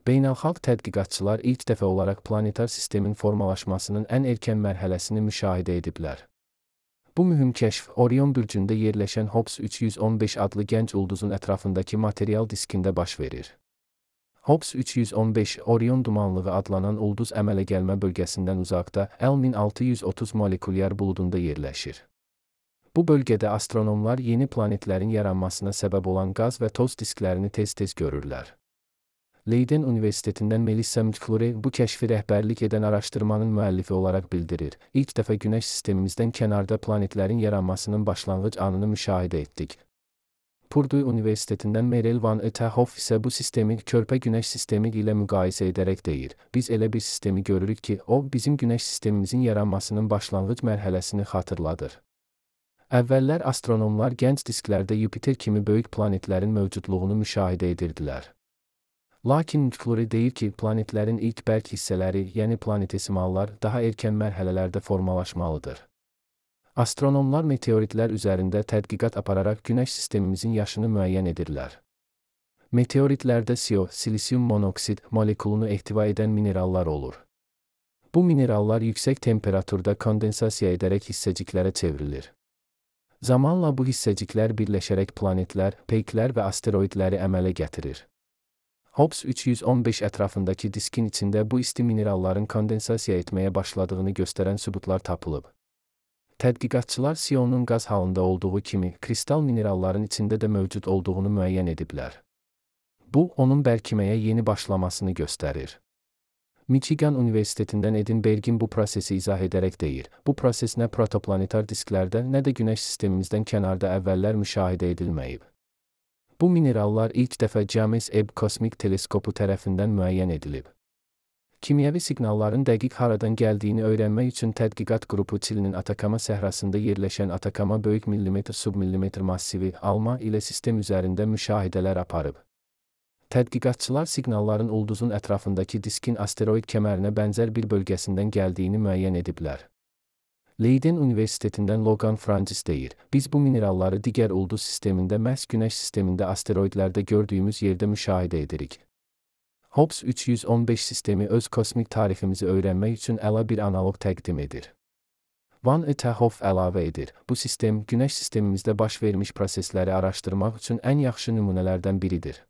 Beynəlxalq tədqiqatçılar ilk dəfə olaraq planetar sistemin formalaşmasının ən erkən mərhələsini müşahidə ediblər. Bu mühüm kəşf Orion bürcündə yerləşən Hobbs 315 adlı gənc ulduzun ətrafındakı material diskində baş verir. Hobbs 315 Orion dumanlığı adlanan ulduz əmələ gəlmə bölgəsindən uzaqda L1630 molekulyar buludunda yerləşir. Bu bölgədə astronomlar yeni planetlərin yaranmasına səbəb olan qaz və toz disklərini tez-tez görürlər. Leiden Universitetindən Melissa McClure bu kəşfi rəhbərlik edən araşdırmanın müəllifi olaraq bildirir. İlk dəfə Günəş sistemimizdən kənarda planetlərin yaranmasının başlanğıc anını müşahidə etdik. Purdue Universitetindən Meryl Van Etterhoff isə bu sistemi körpə Günəş sistemi ilə müqayisə edərək deyir. Biz elə bir sistemi görürük ki, o bizim Günəş sistemimizin yaranmasının başlanğıc mərhələsini xatırladır. Əvvəllər astronomlar gənc disklərdə Yupiter kimi böyük planetlərin mövcudluğunu müşahidə edirdilər. Lakin McClure deyir ki, planetlərin ilk bərk hissələri, yəni planetesimallar, daha erkən mərhələlərdə formalaşmalıdır. Astronomlar meteoritlər üzərində tədqiqat apararaq Günəş sistemimizin yaşını müəyyən edirlər. Meteoritlərdə CO, silisium monoksid molekulunu ehtiva edən minerallar olur. Bu minerallar yüksək temperaturda kondensasiya edərək hissəciklərə çevrilir. Zamanla bu hissəciklər birləşərək planetlər, peyklər və asteroidləri əmələ gətirir. Hobbs 315 ətrafındakı diskin içində bu isti mineralların kondensasiya etməyə başladığını göstərən sübutlar tapılıb. Tədqiqatçılar CO-nun qaz halında olduğu kimi, kristal mineralların içində də mövcud olduğunu müəyyən ediblər. Bu, onun bərkiməyə yeni başlamasını göstərir. Michigan Universitetindən Edinbergin bu prosesi izah edərək deyir. Bu proses nə protoplanetar disklərdə, nə də Günəş sistemimizdən kənarda əvvəllər müşahidə edilməyib. Bu minerallar ilk dəfə James Webb kosmik teleskopu tərəfindən müəyyən edilib. Kimyəvi siqnalların dəqiq haradan gəldiyini öyrənmək üçün tədqiqat qrupu Çilinin Atakama səhrasında yerləşən Atakama böyük millimetr-submillimetr massivi ALMA ilə sistem üzərində müşahidələr aparıb. Tədqiqatçılar siqnalların ulduzun ətrafındakı diskin asteroid kəmərinə bənzər bir bölgəsindən gəldiyini müəyyən ediblər. Leiden Universitetindən Logan Francis deyir, biz bu mineralları digər ulduz sistemində məhz Günəş sistemində asteroidlərdə gördüyümüz yerdə müşahidə edirik. Hobbs 315 sistemi öz kosmik tariximizi öyrənmək üçün əla bir analoq təqdim edir. Van Etterhoff əlavə edir, bu sistem Günəş sistemimizdə baş vermiş prosesləri araşdırmaq üçün ən yaxşı nümunələrdən biridir.